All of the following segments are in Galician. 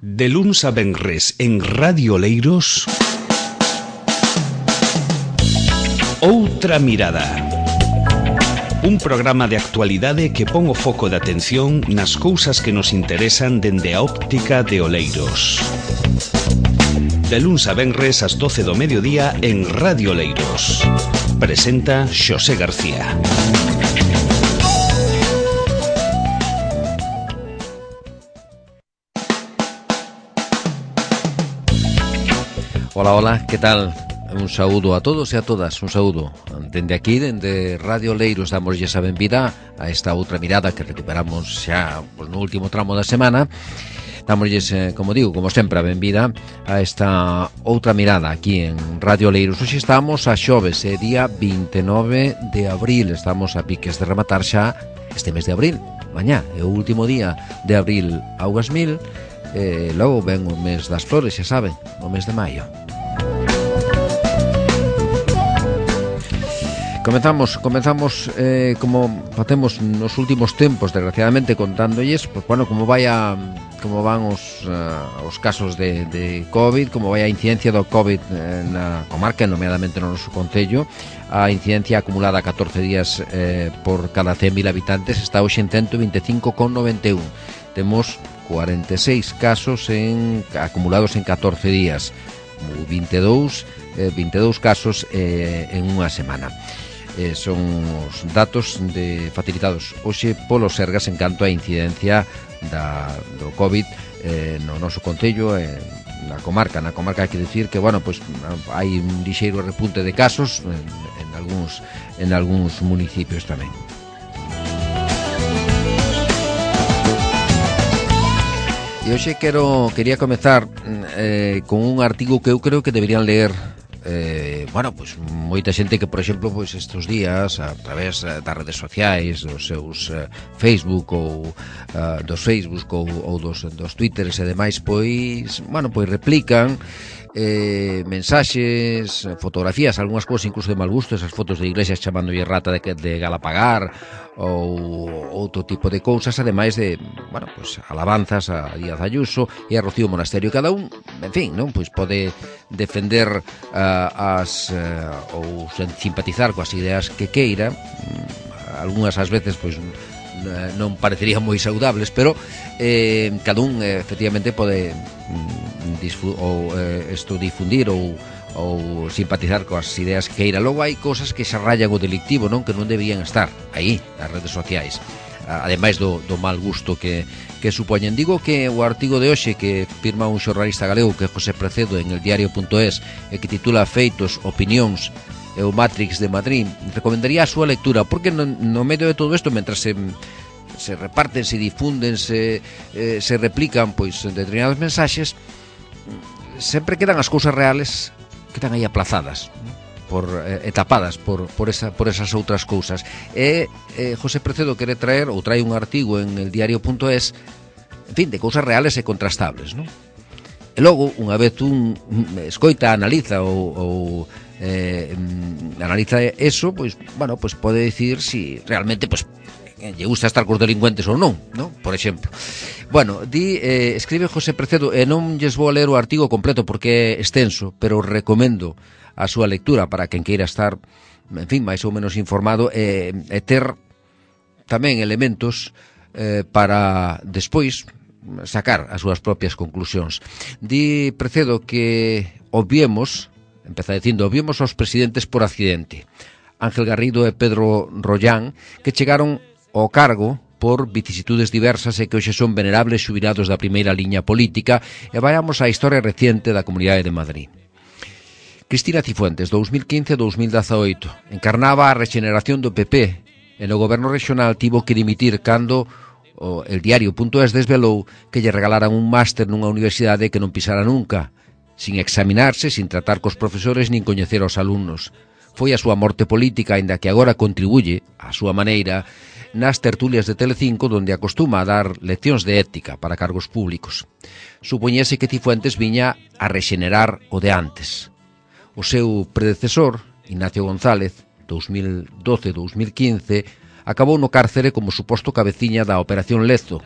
De luns a venres en Radio Oleiros, Outra Mirada. Un programa de actualidade que pon o foco de atención nas cousas que nos interesan dende a óptica de Oleiros. De luns a venres ás 12 do mediodía en Radio Oleiros. Presenta Xosé García. Hola, hola, que tal? Un saúdo a todos e a todas, un saúdo dende aquí, dende Radio Oleiros. Damoslle a benvida a esta outra mirada que recuperamos xa no último tramo da semana. Damoslle, como digo, como sempre, a benvida a esta outra mirada aquí en Radio Oleiros. Hoxe estamos a xoves, día 29 de abril. Estamos a piques de rematar xa este mes de abril. Mañá é o último día de abril augas mil. Logo ven o mes das flores, xa saben, o mes de maio. Comenzamos como facemos nos últimos tempos, desgraciadamente, contándolles, pues, bueno, como van os casos de COVID, como vai a incidencia do COVID na comarca, nomeadamente no noso concello. A incidencia acumulada a 14 días por cada 100.000 habitantes está hoxe en 125,91. Temos 46 casos acumulados en 14 días, 22 casos en unha semana. Son os datos facilitados hoxe polo Sergas en canto a incidencia do COVID no noso concello, na comarca. Na comarca hai que dicir que, bueno, pois hai un lixeiro repunte de casos en algúns municipios tamén. E hoxe quería comezar con un artigo que eu creo que deberían ler pues moita xente que, por exemplo, pois estes días a través das redes sociais, dos seus Facebook ou dos Facebook ou dos Twitters e demais, pois replican mensaxes, fotografías, algunhas cousas incluso de mal gusto, esas fotos de iglesias chamándolle rata de Galapagar ou outro tipo de cousas, ademais de, alabanzas a Díaz Ayuso e a Rocío Monasterio. Cada un, en fin, non, pois pode defender ou simpatizar coas ideas que queira. Algunhas ás veces pois non parecerían moi saudables, pero cada un efectivamente pode difundir ou simpatizar coas ideas que queira. Logo hai cousas que xa rayan o delictivo, non, que non debían estar aí nas redes sociais, ademais do mal gusto que supoñen. Digo que o artigo de hoxe que firma un xornalista galego, que é José Precedo, en el diario.es, que titula Feitos, opinións e o Matrix de Madrid, recomendaría a súa lectura, porque no medio de todo isto, mentras se reparten, se difunden, se replican pois determinados mensaxes, sempre quedan as cousas reales, quedan aí aplazadas, tapadas por esas outras cousas. José Precedo quere traer un artigo en el diario.es, en fin, de cousas reales e contrastables, non? E logo, unha vez un escoita, analiza ou analiza eso, pois pode dicir si realmente lle gusta estar cos delincuentes ou non, por exemplo. Escribe José Precedo, e non lles vou a ler o artigo completo porque é extenso, pero recomendo a súa lectura para quen queira estar, en fin, máis ou menos informado e ter tamén elementos para despois sacar as súas propias conclusións. Di Precedo que obviemos aos presidentes por accidente, Ángel Garrido e Pedro Rollán, que chegaron ao cargo por vicisitudes diversas e que hoxe son venerables xubilados da primeira liña política, e vayamos á historia reciente da Comunidade de Madrid. Cristina Cifuentes, 2015-2018, encarnaba a rexeneración do PP e no goberno regional tivo que dimitir cando el diario.es desvelou que lle regalaran un máster nunha universidade que non pisara nunca, sin examinarse, sin tratar cos profesores nin coñecer aos alumnos. Foi a súa morte política, aínda que agora contribuye, á súa maneira, nas tertulias de Telecinco, donde acostuma a dar leccións de ética para cargos públicos. Supoñese que Cifuentes viña a rexenerar o de antes. O seu predecesor, Ignacio González, 2012-2015, acabou no cárcere como suposto cabeciña da Operación Lezo,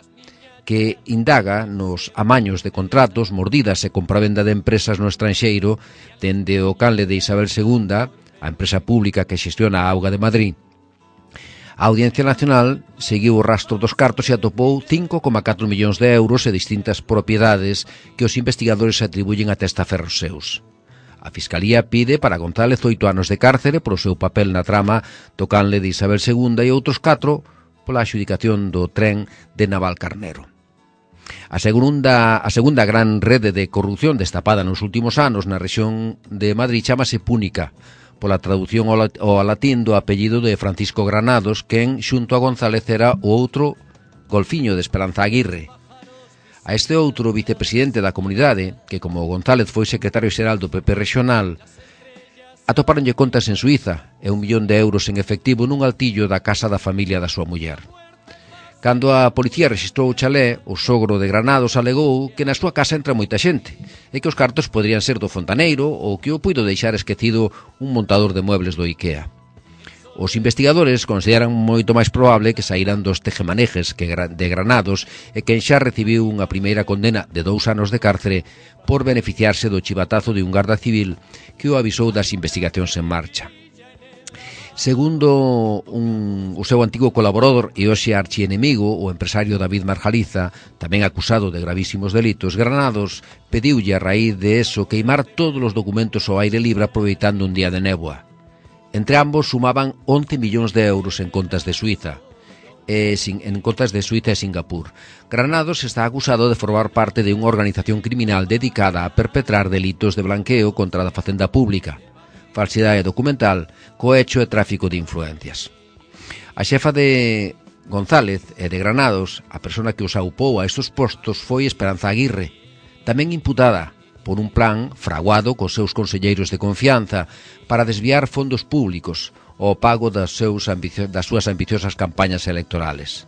que indaga nos amaños de contratos, mordidas e compravenda de empresas no estranxeiro dende o canle de Isabel II, a empresa pública que xestiona a Auga de Madrid. A Audiencia Nacional seguiu o rastro dos cartos e atopou 5,4 millóns de euros e distintas propiedades que os investigadores atribuyen a testaferros seus. A Fiscalía pide para González 8 anos de cárcere por o seu papel na trama do canle de Isabel II e outros 4 pola adxudicación do tren de Navalcarnero. A segunda gran rede de corrupción destapada nos últimos anos na rexión de Madrid chamase Púnica, pola traducción ao latín do apellido de Francisco Granados, quen, xunto a González, era o outro golfiño de Esperanza Aguirre. A este outro vicepresidente da comunidade, que como González foi secretario xeral do PP regional, atopáronlle contas en Suiza e 1 millón de euros en efectivo nun altillo da casa da familia da súa muller. Cando a policía rexistrou o chalé, o sogro de Granados alegou que na súa casa entra moita xente e que os cartos poderían ser do fontaneiro ou que o puido deixar esquecido un montador de muebles do IKEA. Os investigadores consideran moito máis probable que saíran dos tejemanejes de Granados e quen xa recibiu unha primeira condena de 2 anos de cárcere por beneficiarse do chivatazo de un garda civil que o avisou das investigacións en marcha. Segundo o seu antigo colaborador e hoxe archienemigo, o empresario David Marjaliza, tamén acusado de gravísimos delitos, Granados pediulle a raíz de eso queimar todos os documentos ao aire libre aproveitando un día de néboa. Entre ambos sumaban 11 millóns de euros en contas de Suiza e Singapur. Granados está acusado de formar parte de unha organización criminal dedicada a perpetrar delitos de blanqueo contra a facenda pública, falsidade documental, cohecho e tráfico de influencias. A xefa de González e de Granados, a persona que os aupou a estes postos, foi Esperanza Aguirre, tamén imputada por un plan fraguado cos seus conselleiros de confianza para desviar fondos públicos ao pago das súas ambiciosas campañas electorales.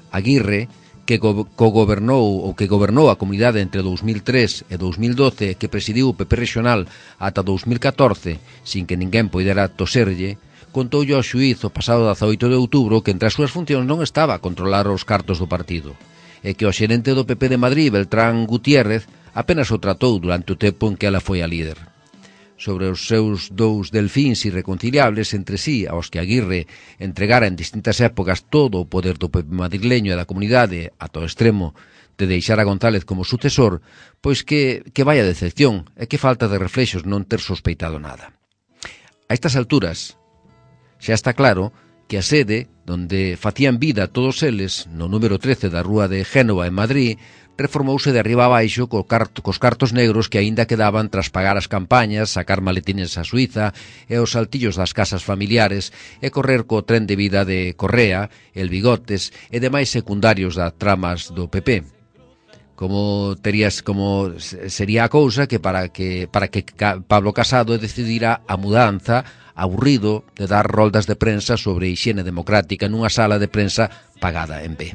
Aguirre, que gobernou a comunidade entre 2003 e 2012, que presidiu o PP regional ata 2014, sin que ninguén poidera toserlle, contoulle ao xuíz o pasado 18 de outubro que entre as súas funcións non estaba a controlar os cartos do partido, e que o xerente do PP de Madrid, Beltrán Gutiérrez, apenas o tratou durante o tempo en que ela foi a líder. Sobre os seus 2 delfíns irreconciliables entre sí, aos que Aguirre entregara en distintas épocas todo o poder do PP madrileño e da comunidade ata o extremo de deixar a González como sucesor, pois que vaya decepción e que falta de reflexos non ter sospeitado nada. A estas alturas, xa está claro que a sede donde facían vida todos eles, no número 13 da rúa de Génova en Madrid, reformouse de arriba a baixo cos cartos negros que aínda quedaban tras pagar as campañas, sacar maletines a Suiza e os saltillos das casas familiares e correr co tren de vida de Correa, el Bigotes e demais secundarios das tramas do PP. Como sería a cousa que para que Pablo Casado decidira a mudanza, aburrido de dar roldas de prensa sobre hixiene democrática nunha sala de prensa pagada en B.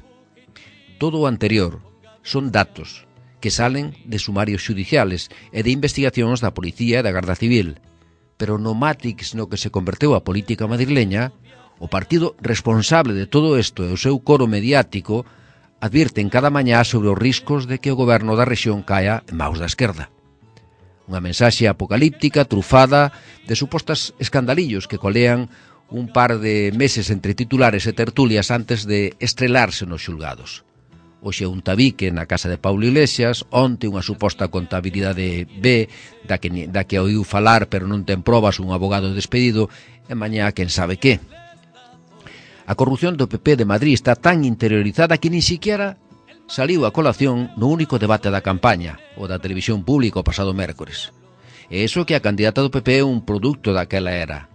Todo o anterior son datos que salen de sumarios xudiciales e de investigacións da Policía e da Garda Civil, pero no Matrix no que se converteu a política madrileña, o partido responsable de todo isto e o seu coro mediático advirten cada mañá sobre os riscos de que o goberno da rexión caia en maus da esquerda. Unha mensaxe apocalíptica trufada de supostas escandalillos que colean un par de meses entre titulares e tertulias antes de estrelarse nos xulgados. Hoxe un tabique na casa de Paulo Iglesias, onte unha suposta contabilidade B da que oiu falar pero non ten probas un abogado despedido e mañá quen sabe que. A corrupción do PP de Madrid está tan interiorizada que nin siquiera saliu a colación no único debate da campaña, o da televisión pública o pasado mércores. E iso que a candidata do PP é un produto daquela era.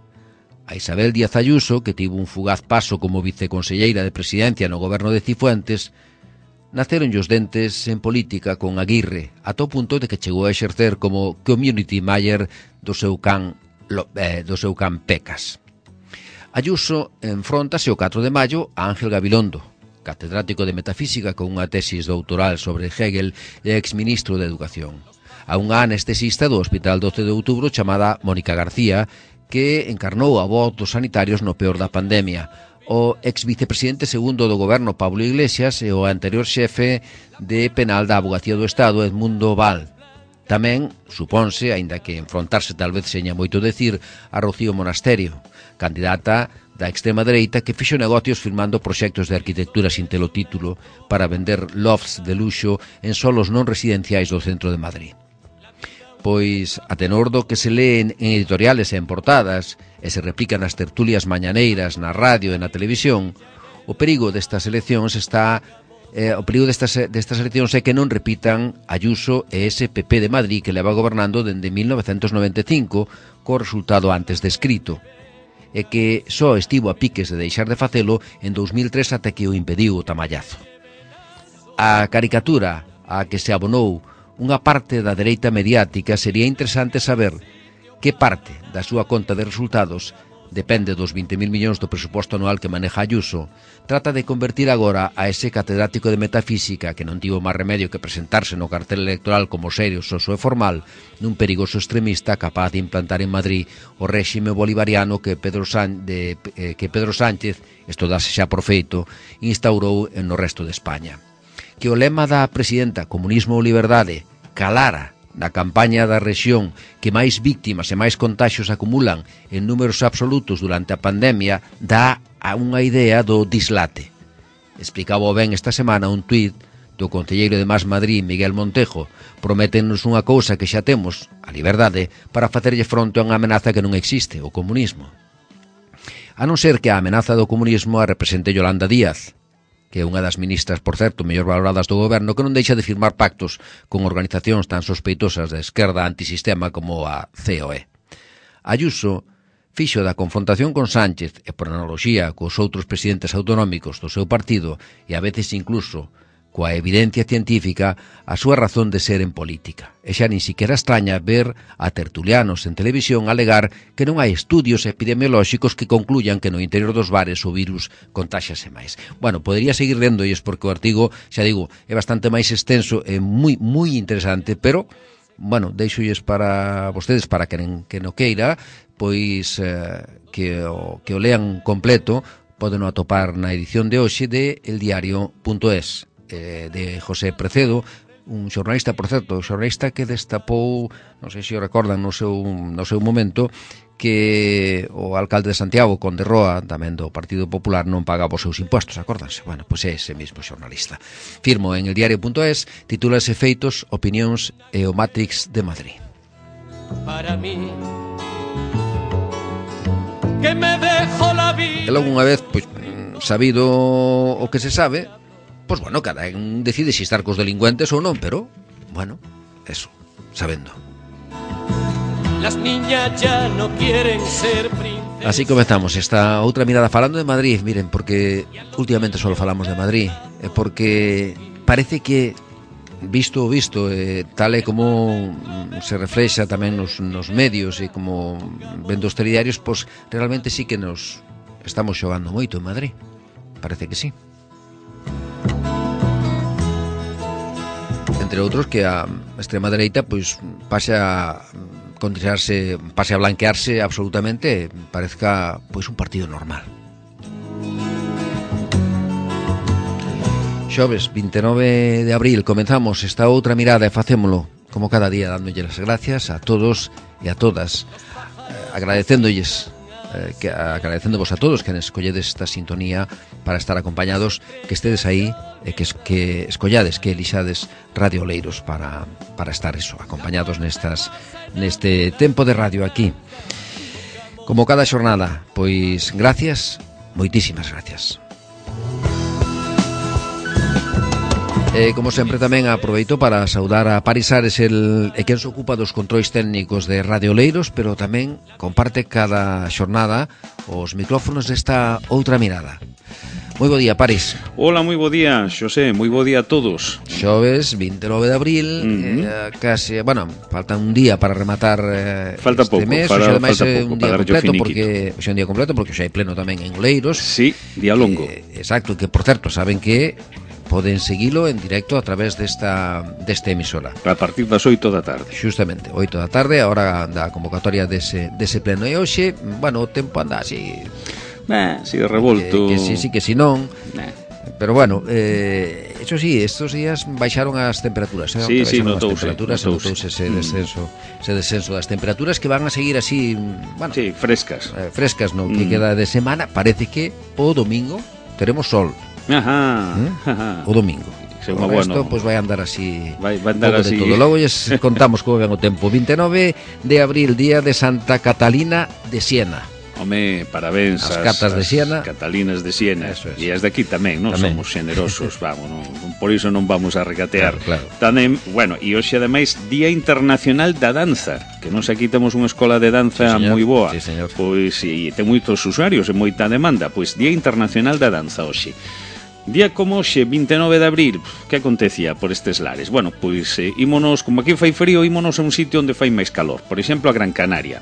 A Isabel Díaz Ayuso, que tivo un fugaz paso como viceconselleira de presidencia no goberno de Cifuentes, naceron os dentes en política con Aguirre, ata o punto de que chegou a exercer como community manager do seu can Pecas. Ayuso enfróntase o 4 de maio a Ángel Gabilondo, catedrático de Metafísica con unha tesis doutoral sobre Hegel e exministro de Educación, a unha anestesista do Hospital 12 de Outubro chamada Mónica García, que encarnou a voz dos sanitarios no peor da pandemia, o ex-vicepresidente segundo do goberno Pablo Iglesias e o anterior xefe de penal da Avogacía do Estado Edmundo Val. Tamén, supónse, aínda que enfrontarse tal vez seña moito decir, a Rocío Monasterio, candidata da extrema dereita que fixo negocios firmando proxectos de arquitectura sin telo título para vender lofts de luxo en solos non residenciais do centro de Madrid. Pois, a tenor do que se leen en editoriales e en portadas e se replican nas tertulias mañaneiras na radio e na televisión, o perigo destas eleccións é que non repitan Ayuso e ese PP de Madrid que leva gobernando dende 1995 co resultado antes descrito, e que só estivo a piques de deixar de facelo en 2003 até que o impediu o tamallazo. A caricatura a que se abonou unha parte da dereita mediática sería interesante saber que parte da súa conta de resultados depende dos 20.000 millóns do presuposto anual que maneja Ayuso, trata de convertir agora a ese catedrático de metafísica que non tivo máis remedio que presentarse no cartel electoral como serio, soso e formal nun perigoso extremista capaz de implantar en Madrid o réxime bolivariano que Pedro Sánchez, isto dase xa por feito, instaurou no resto de España. Que o lema da presidenta Comunismo ou Liberdade calara na campaña da rexión que máis víctimas e máis contaxios acumulan en números absolutos durante a pandemia dá a unha idea do dislate. Explicaba ben esta semana un tuit do concelleiro de Más Madrid, Miguel Montejo, prométenos unha cousa que xa temos, a liberdade, para facerlle fronte a unha amenaza que non existe, o comunismo. A non ser que a amenaza do comunismo a represente Yolanda Díaz, que é unha das ministras, por certo, mellor valoradas do goberno, que non deixa de firmar pactos con organizacións tan sospeitosas da esquerda antisistema como a COE. Ayuso fixo da confrontación con Sánchez e por analoxía cos outros presidentes autonómicos do seu partido e a veces incluso coa evidencia científica a súa razón de ser en política. E xa nin siquiera extraña ver a tertulianos en televisión alegar que non hai estudios epidemiolóxicos que concluyan que no interior dos bares o virus contáxase máis. Bueno, podería seguir lendolles porque o artigo, xa digo, é bastante máis extenso e moi interesante, pero, bueno, deixolles para vostedes, para que non queira, pois que o lean completo, poden atopar na edición de hoxe de eldiario.es. De José Precedo, un xornalista, por certo, xornalista que destapou, non sei se o recordan no seu momento, que o alcalde de Santiago, Conde Roa, tamén do Partido Popular, non pagaba os seus impostos, acórdanse? Bueno, pois é ese mismo xornalista. Firmo en eldiario.es, titúlase Feitos, Opinións e o Matrix de Madrid. Para mí que me dejo la vida. E logo unha vez, pois, sabido o que se sabe, pois bueno, cada un decide se estar cos delincuentes ou non, pero, bueno, eso, sabendo. Las niñas ya no quieren ser princesas. Así comezamos esta outra mirada falando de Madrid, miren, porque últimamente só falamos de Madrid, porque parece que visto, tal e como se reflexa tamén nos medios e como vendo os telediarios, pois realmente sí que nos estamos xogando moito en Madrid. Parece que sí. Entre outros que a extrema dereita pois pase a blanquearse absolutamente, parezca pois un partido normal. Xoves 29 de abril comenzamos esta outra mirada e facémolo como cada día dándolle as gracias a todos e a todas, agradecéndolles agradecéndovos a todos que escolledes esta sintonía para estar acompañados, que estedes aí e que escollades, que elixades Radio Oleiros para estar eso, acompañados neste tempo de radio aquí. Como cada xornada, pois gracias, moitísimas gracias. Como sempre tamén aproveito para saudar a Paris Ares, quen se ocupa dos controis técnicos de Radio Oleiros, pero tamén comparte cada xornada os micrófonos desta outra mirada. Moi bo día, Paris. Hola, moi bo día, Xosé, moi bo día a todos. Xoves 29 de abril, case, bueno, falta un día para rematar falta este pouco, mes, falta un pouco día completo porque hoxe é un día completo porque hoxe hai pleno tamén en Oleiros. Sí, día longo. Exacto, que por certo, saben que poden seguilo en directo a través desta emisora. A partir das 8 da tarde. Justamente, 8 da tarde, a hora da convocatoria dese pleno. E hoxe, bueno, o tempo anda así... Si revolto. Que sí, que si non. Pero bueno, eso sí, estos días baixaron as temperaturas, Sí, notouse ese descenso das temperaturas que van a seguir así, bueno, sí, frescas. Frescas, no, que queda de semana. Parece que o domingo teremos sol. Ajá. O domingo. O resto, pues vai andar así. Vai andar así. De todo. Logo lles contamos como ven o tempo. 29 de abril, día de Santa Catalina de Siena. Home, parabéns as catas de Siena, Catalinas de Siena. E as de aquí tamén, non somos xenerosos, vamos, por iso non vamos a regatear. Claro. Tamén, bueno, e hoxe ademais Día Internacional da Danza, que nos aquí temos unha escola de danza moi boa. Sí, señor. Pois, e ten moitos usuarios e moita demanda, pois Día Internacional da Danza hoxe. Día como hoxe, 29 de abril, que acontecía por estes lares? Bueno, pois ímonos, como aquí fai frío, ímonos a un sitio onde fai máis calor, por exemplo, a Gran Canaria,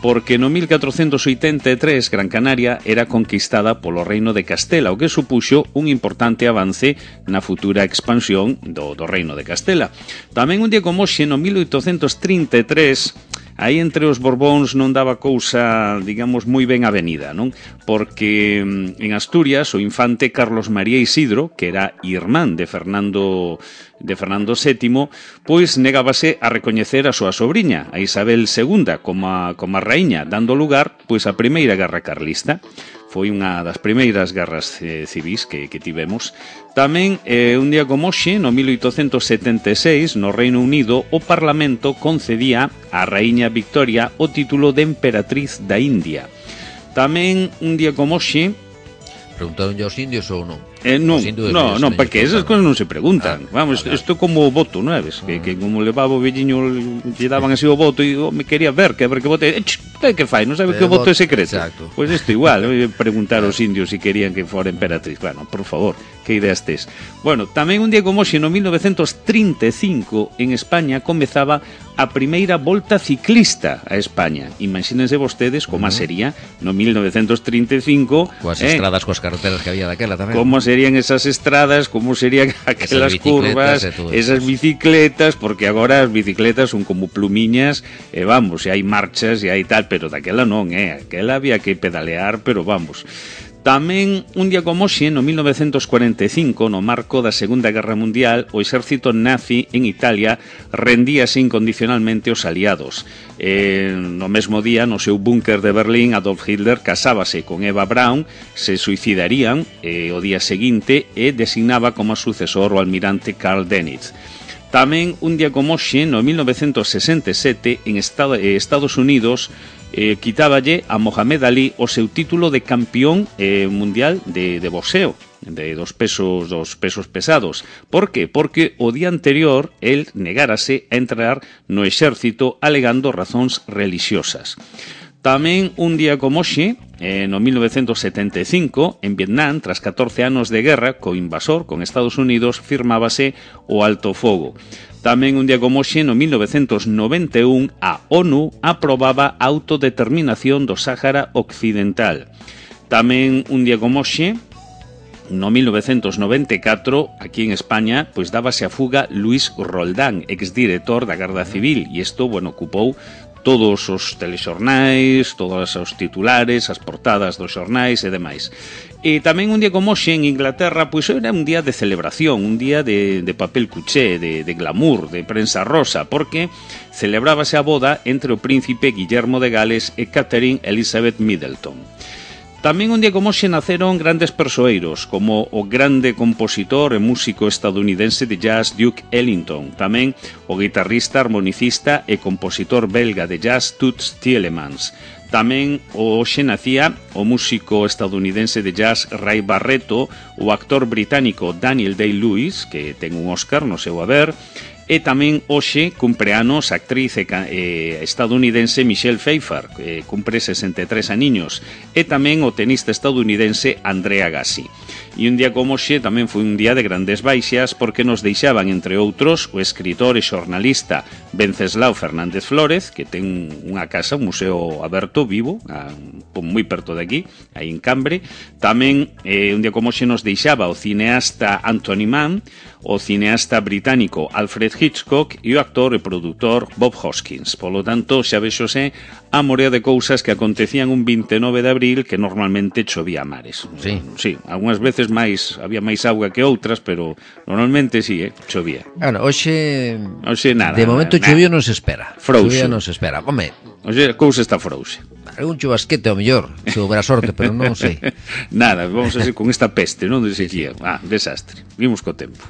porque no 1483 Gran Canaria era conquistada polo Reino de Castela, o que supuxo un importante avance na futura expansión do Reino de Castela. Tamén un día como hoxe, no 1833, aí entre os Borbóns non daba cousa, digamos, moi ben avenida, non? Porque en Asturias o infante Carlos María Isidro, que era irmán de Fernando VII, pois negábase a recoñecer a súa sobriña, a Isabel II, como a raíña, dando lugar pois a primeira guerra carlista. Foi unha das primeiras guerras civis que tivemos. Tamén, un día como hoxe, no 1876, no Reino Unido, o Parlamento concedía á raíña Victoria o título de emperatriz da India. Tamén, un día como hoxe... Preguntaron aos indios ou non? Non, porque esas cosas non se preguntan. Vamos, isto como o voto, non é? Que como levaba o velliño, lle daban así o voto e me quería ver que vote. Que fai? Non sabe que o voto é secreto? Pois isto igual, preguntar aos indios se querían que fora emperatriz. Bueno, por favor, que ideas tes? Bueno, tamén un día como hoxe, no 1935, en España comezaba a primeira volta ciclista a España. Imagínense vostedes como sería no 1935. Coas estradas, coas carreteras que había daquela tamén. Como serían esas estradas, como serían aquelas curvas, esas bicicletas, porque agora as bicicletas son como plumiñas, vamos, e hai marchas e hai tal, pero daquela non, aquela había que pedalear, pero vamos. Tamén, un día como hoxe, no 1945, no marco da Segunda Guerra Mundial, o exército nazi en Italia rendíase incondicionalmente aos aliados. No mesmo día, no seu búnker de Berlín, Adolf Hitler casábase con Eva Braun, se suicidarían o día seguinte e designaba como sucesor o almirante Karl Dönitz. Tamén, un día como hoxe, no 1967, en Estados Unidos, quitáballe a Mohamed Ali o seu título de campeón mundial de boxeo, dos pesos pesados. Por que? Porque o día anterior el negárase a entrar no exército alegando razóns religiosas. Tamén un día como hoxe, no 1975, en Vietnam, tras 14 anos de guerra co invasor, con Estados Unidos, firmábase o alto fogo. Tamén un día como hoxe, no 1991, a ONU aprobaba a autodeterminación do Sáhara Occidental. Tamén un día como hoxe, no 1994, aquí en España, pois dábase a fuga Luis Roldán, exdirector da Garda Civil, e isto, bueno, ocupou todos os telexornais, todos os titulares, as portadas dos xornais e demais. E tamén un día como hoxe en Inglaterra, pois era un día de celebración, un día de papel cuché, de glamour, de prensa rosa, porque celebrábase a boda entre o príncipe Guillermo de Gales e Catherine Elizabeth Middleton. Tamén un día como hoxe naceron grandes persoeiros, como o grande compositor e músico estadounidense de jazz Duke Ellington, tamén o guitarrista, armonicista e compositor belga de jazz Toots Thielemans. Tamén hoxe nacía o músico estadounidense de jazz Ray Barretto, o actor británico Daniel Day-Lewis, que ten un Oscar no seu haber, e tamén hoxe cumpre anos a actriz estadounidense Michelle Pfeiffer, que cumpre 63 aniños, e tamén o tenista estadounidense Andrea Agassi. E un día como hoxe tamén foi un día de grandes baixas porque nos deixaban, entre outros, o escritor e xornalista Venceslao Fernández Flórez, que ten unha casa, un museo aberto, vivo, moi perto de aquí, aí en Cambre. Tamén un día como hoxe nos deixaba o cineasta Anthony Mann, o cineasta británico Alfred Hitchcock e o actor e produtor Bob Hoskins. Polo tanto, xa vexose a morea de cousas que acontecían un 29 de abril que normalmente chovía a mares. Sí, algunhas veces había máis auga que outras, pero normalmente sí, chovía. Bueno, hoxe nada. De momento chovía non se espera. Frouse. Chovía non se espera. Home, hoxe a cousa está frouse. Algún chubasquete ao mellor, se houbera sorte, pero non sei. Nada, vamos a ser con esta peste, non? De sequía. Desastre. Vimos co tempo.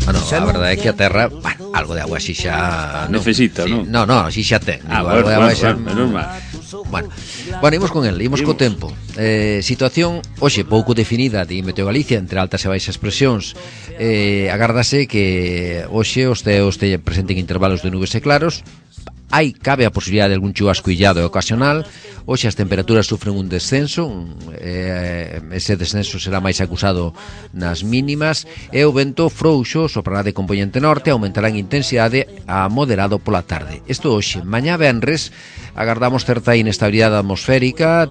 Bueno, a verdade é que a terra, algo de agua así xa necesita, sí, non? No, así xa ten. Algo de agua xa normal. Bueno, imos con el, imos co tempo. Situación hoxe pouco definida de Meteo Galicia entre altas e baixas presións. Agárdase que hoxe os ceos presenten intervalos de nubes e claros. Cabe a posibilidade de algún chubasco illado e ocasional. Hoxe as temperaturas sufren un descenso, ese descenso será máis acusado nas mínimas, e o vento frouxo soprará de compoñente norte, aumentará en intensidade a moderado pola tarde. Isto hoxe. Mañá venres agardamos certa inestabilidade atmosférica,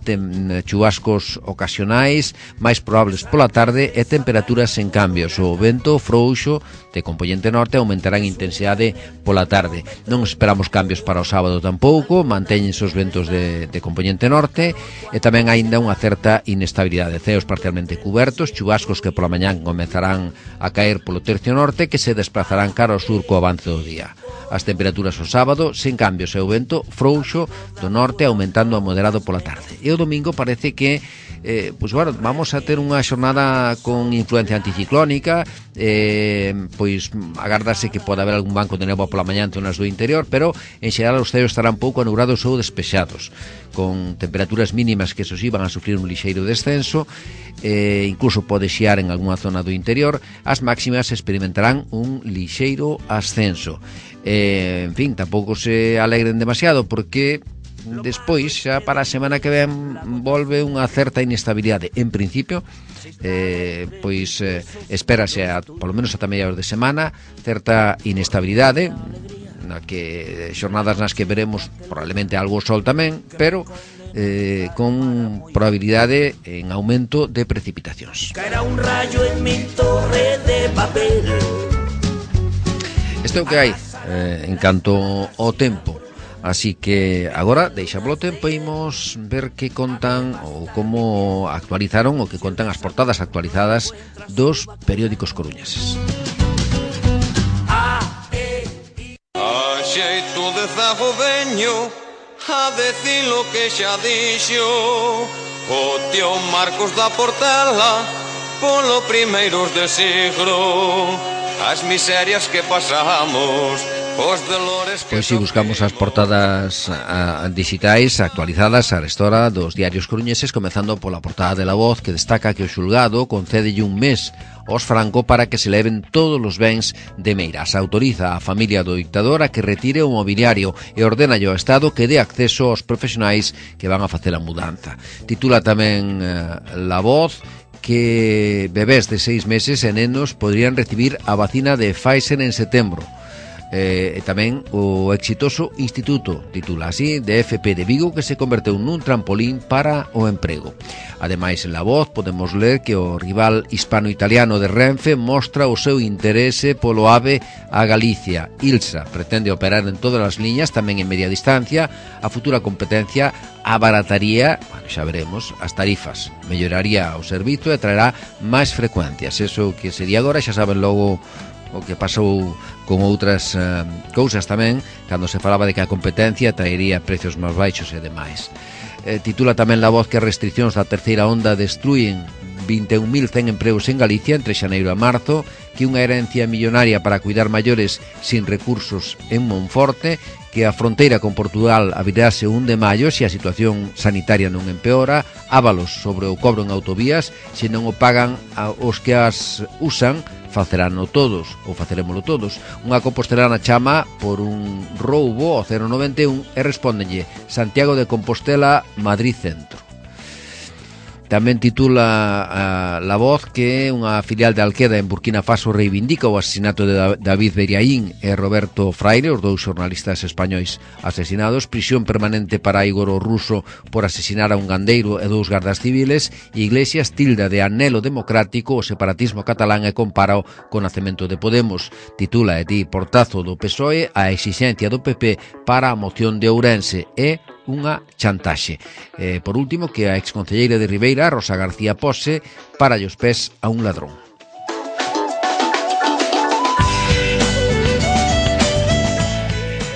chubascos ocasionais máis probables pola tarde e temperaturas en cambios. O vento frouxo de compoñente norte aumentará en intensidade pola tarde. Non esperamos cambios para o sábado tampouco, mantéñense os ventos de compoñente norte e tamén aínda unha certa inestabilidade. Ceos parcialmente cubertos, chubascos que pola mañán comezarán a caer polo tercio norte que se desplazarán cara ao sur co avance do día. As temperaturas o sábado sen cambios e o vento frouxo do norte aumentando a moderado pola tarde. E o domingo parece que vamos a ter unha xornada con influencia anticiclónica, pois agárdase que pode haber algún banco de néboa pola mañá en zonas do interior, pero en xeral os ceos estarán pouco anubrados ou despexados, con temperaturas mínimas que esos van a sufrir un lixeiro descenso, incluso pode xiar en algunha zona do interior. As máximas experimentarán un lixeiro ascenso. En fin, tampouco se alegren demasiado porque despois, xa para a semana que ven, volve unha certa inestabilidade. En principio, espérase polo menos ata mediados de semana certa inestabilidade, na que xornadas nas que veremos probablemente algo sol tamén, pero con probabilidade en aumento de precipitacións. Caerá un rayo en mi torre de papel. Isto é o que hai en canto ao tempo. Así que agora deixámoslo tempo e imos ver que contan ou como actualizaron o que contan as portadas actualizadas dos periódicos coruñeses. A xeito de zago veño a decir lo que xa dixo o tío Marcos da Portela polo primeiros de siglo, as miserias que pasamos. Pois si buscamos as portadas digitais actualizadas a restora dos diarios coruñeses, comezando pola portada de La Voz, que destaca que o xulgado concédelle un mes aos Franco para que se leven todos os bens de Meirás. Autoriza a familia do dictador a que retire o mobiliario e ordena ao Estado que dé acceso aos profesionais que van a facer a mudanza. Titula tamén La Voz que bebés de 6 meses e nenos podrían recibir a vacina de Pfizer en setembro. E tamén o exitoso instituto, titula así, de FP de Vigo, que se converteu nun trampolín para o emprego. Ademais, en La Voz podemos ler que o rival hispano-italiano de Renfe mostra o seu interese polo AVE a Galicia. Ilsa pretende operar en todas as liñas, tamén en media distancia. A futura competencia abarataría, xa veremos, as tarifas, melloraría o servizo e traerá máis frecuencias. Eso que sería agora, xa saben logo o que pasou con outras cousas tamén, cando se falaba de que a competencia traería precios máis baixos e demais. Titula tamén La Voz que as restriccións da terceira onda destrúen 21.100 empregos en Galicia entre xaneiro e marzo, que unha herencia millonaria para cuidar maiores sin recursos en Monforte, que a fronteira con Portugal abrirase 1 de maio se a situación sanitaria non empeora, ávalos sobre o cobro en autovías, se non o pagan os que as usan, faceráno todos, ou facerémolo todos. Unha compostelana chama por un roubo ao 091 e respóndenlle Santiago de Compostela, Madrid Centro. Tamén titula La Voz que unha filial de Alqueda en Burkina Faso reivindica o asesinato de David Beriaín e Roberto Fraile, os dous xornalistas españois asesinados. Prisión permanente para Igor o Ruso por asesinar a un gandeiro e dous gardas civiles. Iglesias tilda de anhelo democrático o separatismo catalán e compárao co nacemento de Podemos. Titula e di portazo do PSOE a exixencia do PP para a moción de Ourense e unha chantaxe. Por último, que a exconcelleira de Ribeira, Rosa García Pose, para os pés a un ladrón.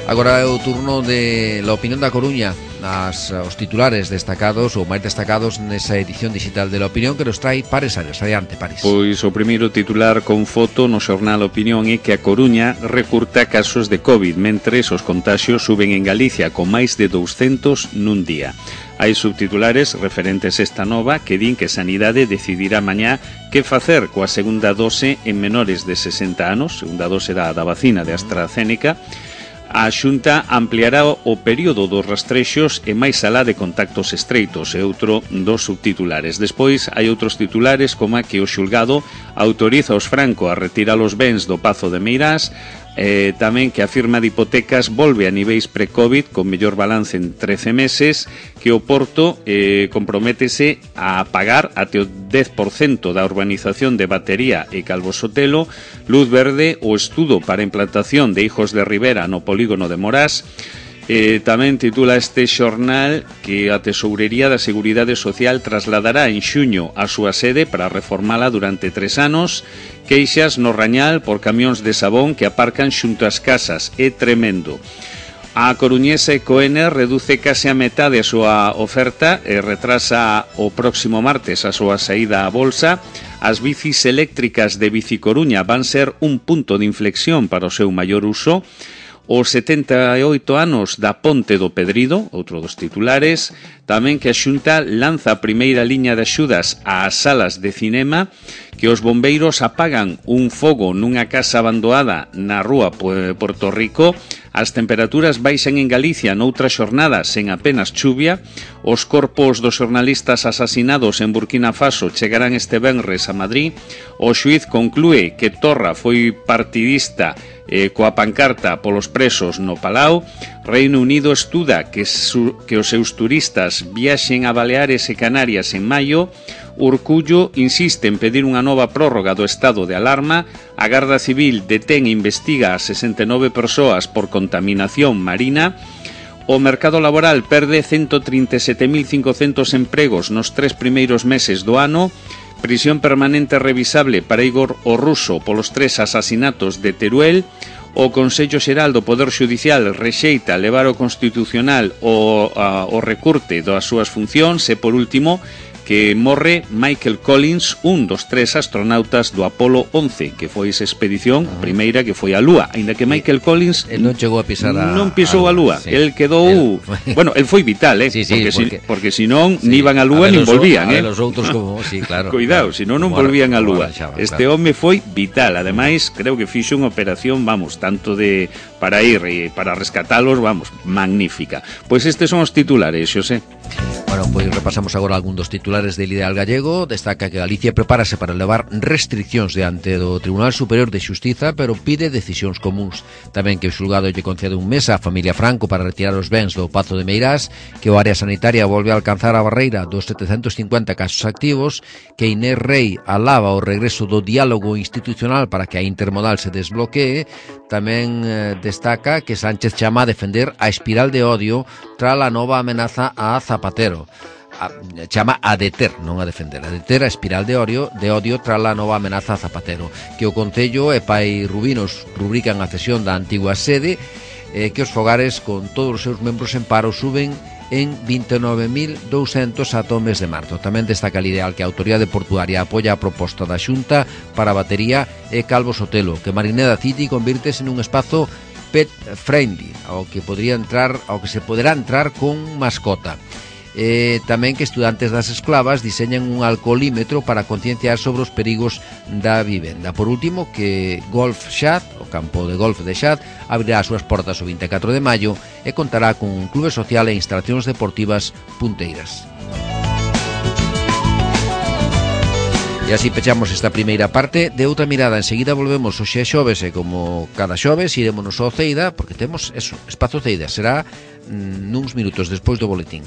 Agora é o turno de La Opinión da Coruña, os titulares destacados ou máis destacados nesa edición digital de La Opinión que nos trae Pares Arias. Adiante, Pares. Pois o primeiro titular con foto no xornal Opinión é que a Coruña recurta casos de COVID, mentres os contaxios suben en Galicia con máis de 200 nun día. Hai subtitulares referentes esta nova que din que Sanidade decidirá mañá que facer coa segunda dose en menores de 60 anos, segunda dose da vacina de AstraZeneca. A Xunta ampliará o período dos rastrexos e máis alá de contactos estreitos, é outro dos subtitulares. Despois hai outros titulares como a que o xulgado autoriza aos Franco a retirar os bens do Pazo de Meirás, tamén que a firma de hipotecas volve a niveis pre-COVID con mellor balance en 13 meses, que o Porto comprométese a pagar até o 10% da urbanización de Batería e Calvo Sotelo, luz verde o estudo para a implantación de Hijos de Ribera no polígono de Morás. Tamén titula este xornal que a Tesourería da Seguridade Social trasladará en xuño a súa sede para reformala durante 3 anos. Queixas no Rañal por camións de sabón que aparcan xunto ás casas. É tremendo. A coruñesa Ecoener reduce case a metade a súa oferta e retrasa o próximo martes a súa saída á bolsa. As bicis eléctricas de Bicicoruña van ser un punto de inflexión para o seu maior uso. Os 78 anos da Ponte do Pedrido, outro dos titulares. Tamén que a Xunta lanza a primeira liña de axudas ás salas de cinema, que os bombeiros apagan un fogo nunha casa abandoada na rúa Porto Rico. As temperaturas baixan en Galicia noutra xornada sen apenas chuvia. Os corpos dos xornalistas asasinados en Burkina Faso chegarán este venres a Madrid. O xuíz conclúe que Torra foi partidista coa pancarta polos presos no Palau. Reino Unido estuda que os seus turistas viaxen a Baleares e Canarias en maio. Urcullo insiste en pedir unha nova prórroga do estado de alarma. A Garda Civil detén e investiga a 69 persoas por contaminación marina. O mercado laboral perde 137.500 empregos nos 3 primeiros meses do ano. Prisión permanente revisable para Igor o Ruso polos 3 asasinatos de Teruel. O Consello Xeral do Poder Xudicial rexeita levar ao Constitucional o recurte das súas funcións. E por último, que morre Michael Collins, un dos 3 astronautas do Apolo 11, que foi esa expedición primeira que foi á Lúa, aínda que Michael Collins non chegou a pisar non pisou a Lúa, sí. El quedou bueno, el foi vital, sí, porque senón nin iban á Lúa nin volvían, los outros como, sí, claro. Cuidado, senón non volvían á Lúa. Este home foi vital, ademais creo que fixo unha operación, vamos, tanto de para ir e para rescatalos, vamos, magnífica. Pois estes son os titulares, Xosé. Bueno, pois repasamos agora algún dos titulares del Ideal Gallego. Destaca que Galicia prepárase para levar restriccións diante do Tribunal Superior de Xustiza, pero pide decisións comuns. Tamén que o xulgado lle concede un mes á familia Franco para retirar os bens do Pazo de Meirás, que o área sanitaria volve a alcanzar a barreira dos 750 casos activos, que Inés Rei alaba o regreso do diálogo institucional para que a intermodal se desbloquee. Tamén destaca que Sánchez chama a defender a espiral de odio tras a nova amenaza a Zapatero. Chama a deter, non a defender, a deter a espiral de odio tras a nova amenaza a Zapatero. Que o Concello e Pai Rubinos rubrican a cesión da antigua sede, que os fogares con todos os seus membros en paro suben en 29.200 ata o mes de marzo. Tamén destaca el Ideal que a Autoridade Portuaria apoia a proposta da Xunta para a Batería e Calvo Sotelo, que Marineda City convirtese nun espazo pet friendly, ao que se poderá entrar con mascota. Tamén que estudantes das esclavas diseñan un alcoholímetro para concienciar sobre os perigos da vivenda. Por último, que Golf Xad, o campo de golf de Xad, abrirá as súas portas o 24 de maio e contará con un clube social e instalacións deportivas punteiras. E así pechamos esta primeira parte de Outra Mirada. Enseguida volvemos hoxe xoves, e como cada xoves irémonos ao Ceida, porque temos eso, Espazo Ceida. Será nuns minutos despois do boletín.